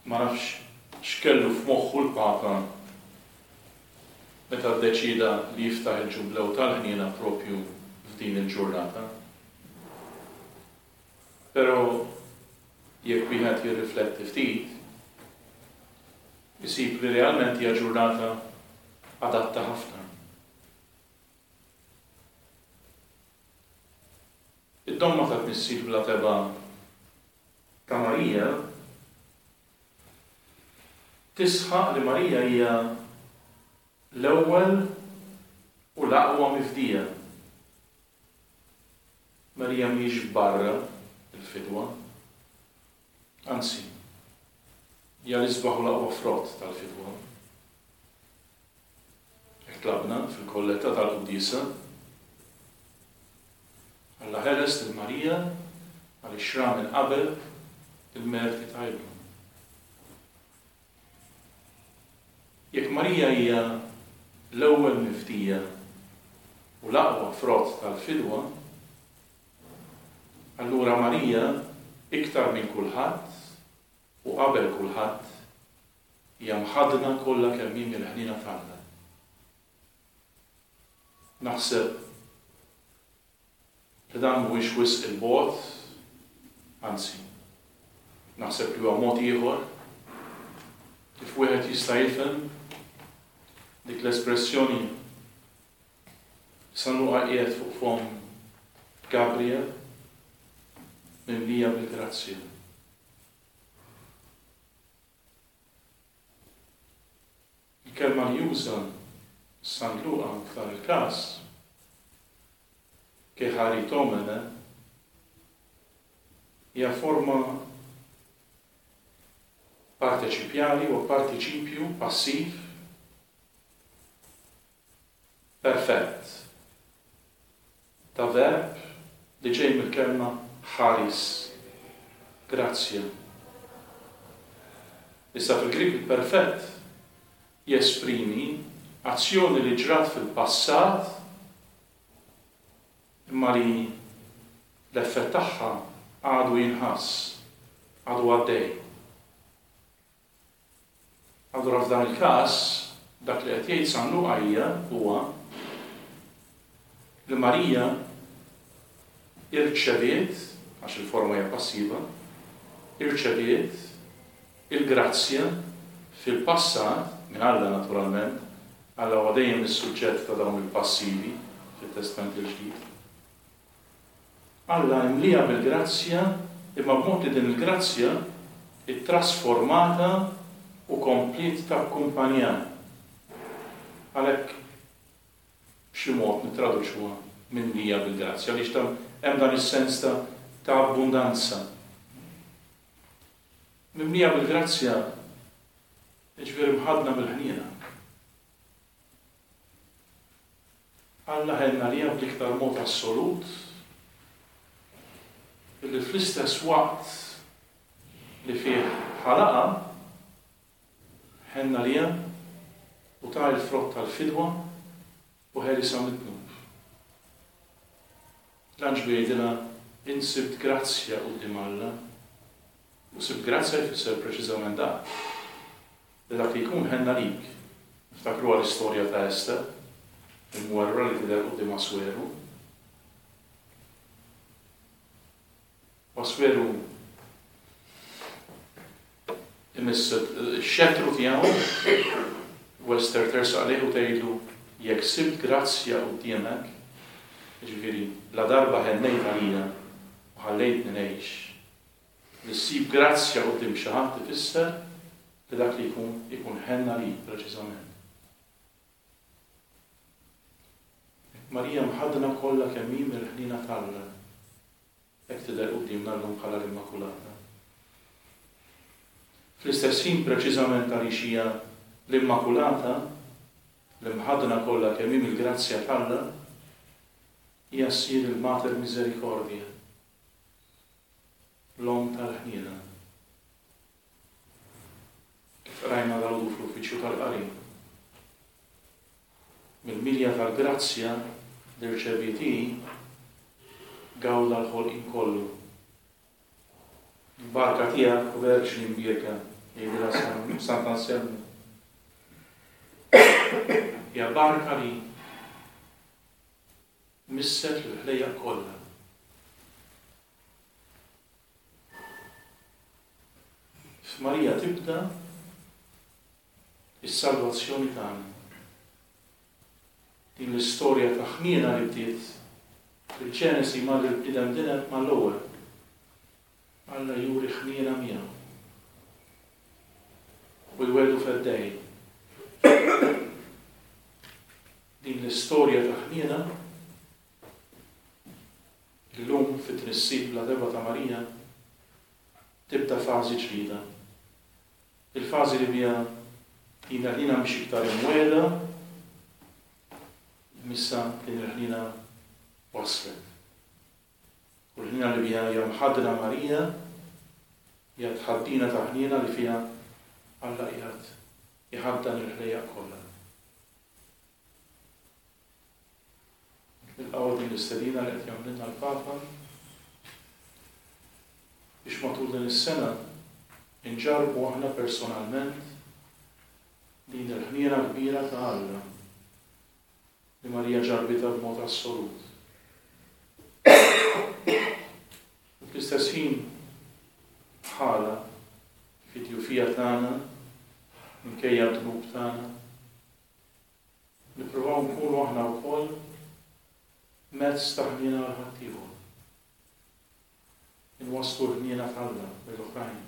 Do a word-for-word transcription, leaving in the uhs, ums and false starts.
Ma nafx x'kellu f'moħħu l-Papa meta ddeċida li jiftaħ il-Ġublew tal-Ħniena propju f'din il-ġurnata. Però jekk wieħed jirrifletti ftit, isib li realment hija ġurnata adatta ħafna. Id-domma ta' tnissil bla tebgħa ta' Marija tisħaq li Marija hija l-ewwel u l-aqwa mifdija. Marija mhijiex barra il-fidwa, anzi, hija l-isbaħ u l-aqwa frott tal-fidwa. Hekk tlabna fil-kolletta tal-quddiesa. Alla ħeles lil Marija għaliex ra minn qabel il-merti ta' ibnu. Jekk Marija hija l-ewwel mifdija u l-aqwa frott tal-fidwa, allura Marija iktar minn kulħadd u qabel kulħadd hija mħaddna kollha kemm hi mill-ħniena t'Alla. Naħseb li dan mhuwiex wisq il-bogħod, anzi, naħseb li huwa mod ieħor kif wieħed jista' jifhem dik l-espressjoni San Luqa qiegħed fuq fomm Gabriel mimlija bil-grazzja. Il-kelma li juża San Luqa f'dan il-każ, kecharitomene, hija forma parteċipjali u partiċipju passiv perfett ta' verb li ġej mill-kelma ħaris, grazzja. Issa fil-Grik il-perfett jesprimi azzjoni li ġrat fil-passat imma li l-effett tagħha għadu jinħass, għadu għaddej. Allura f'dan il-każ, dak li qed jgħid San Luqa hija huwa li Marija irċeviet, għax il-forma hija passiva, irċeviet il-grazzja fil-passat, minn Alla naturalment, Alla huwa dejjem is-suġġett ta' dawn il-passivi fit-Testament il-Ġdid. Alla imlija bil-grazzja imma b'mod li din il-grazzja ittrasformata u kompliet takkumpanja. Għalhekk b'xi mod nittraduċuha mimlija bil-grazzja, għaliex hemm dan is-sens ta' ta' abbundanza. Mimlija bil-grazzja jiġifieri mħaddna mill-ħniena. Alla ħenna għaliha bl-iktar mod assolut illi fl-istess waqt li fih ħalaqha ħenna għaliha u ta' il-frott tal-fidwa u ħelisha mid-dnub. L-anġlu jgħidilha int sibt grazzja quddiem Alla, u sibt grazzja jfisser preċiżament dak, li dak li jkun ħenna lik. Niftakruha l-istorja ta' Ester, il-mwerwra li tidher quddiem Asweru. U Asweru imiss ix-xettru tiegħu u Ester tersaq lejh u tgħidlu jekk sibt grazzja quddiemek, jiġifieri la darba ħennejt għalija u ħallejtni ngħix, li ssib grazzja quddiem xi ħadd ifisser li dak li jkun ikun ħenna lik preċiżament. Marija mħaddna kollha kemm hi mill-ħniena t'Alla, hekk tidher quddiemna llum bħala l-Immakulata. Fl-istess ħin preċiżament għaliex hija l-Immakulata, l-imħaddna kollha kemm hi mill-grazzja t'Alla, hija ssir il-Mater Misericordia, l-Omm tal-ħniena. Kif qrajna dalgħodu fl-uffiċċju tal-qari, mill-milja tal-grazzja li rċeviet hi gawda l-ħolqien kollu. Il-barka tiegħek, o Verġni Mbierka, Jgħidilha Sant'Anselmu. Hija barka li misset l-ħlejjaq kollha. F'Marija tibda is-salvazzjoni tagħna. Din l-istorja ta' ħniena li bdiet fil-Ġenesi mal il-bniedem dineb mal-ewwel. Alla juri ħniena miegħu. U jweldu feddej. Din l-istorja ta' ħniena illum fit-tnissil bla tebgħa ta' Marija tibda fażi ġdida. Il-fażi li biha din il-ħniena mhix iktar imwiegħda, missa din il-ħniena waslet. U l-ħniena li biha hija mħaddna Marija hija tħaddina ta' ħniena li fiha Alla qiegħed iħaddan il-ħlejjaq kollha. Nilqgħu din l-istedina li qed jagħmlilna l-Papa biex matul din is-sena inġarrbu aħna personalment din il-ħniena kbira ta' Alla li Marija ġarbitha b'mod assolut. U fl-istess ħin bħala fid-djufija tagħna, minkejja d-dnub tagħna, nippruvaw nkunu aħna wkoll mezz ta' ħniena għal ħaddieħor. Inwasslu l-ħniena t'Alla lill-oħrajn.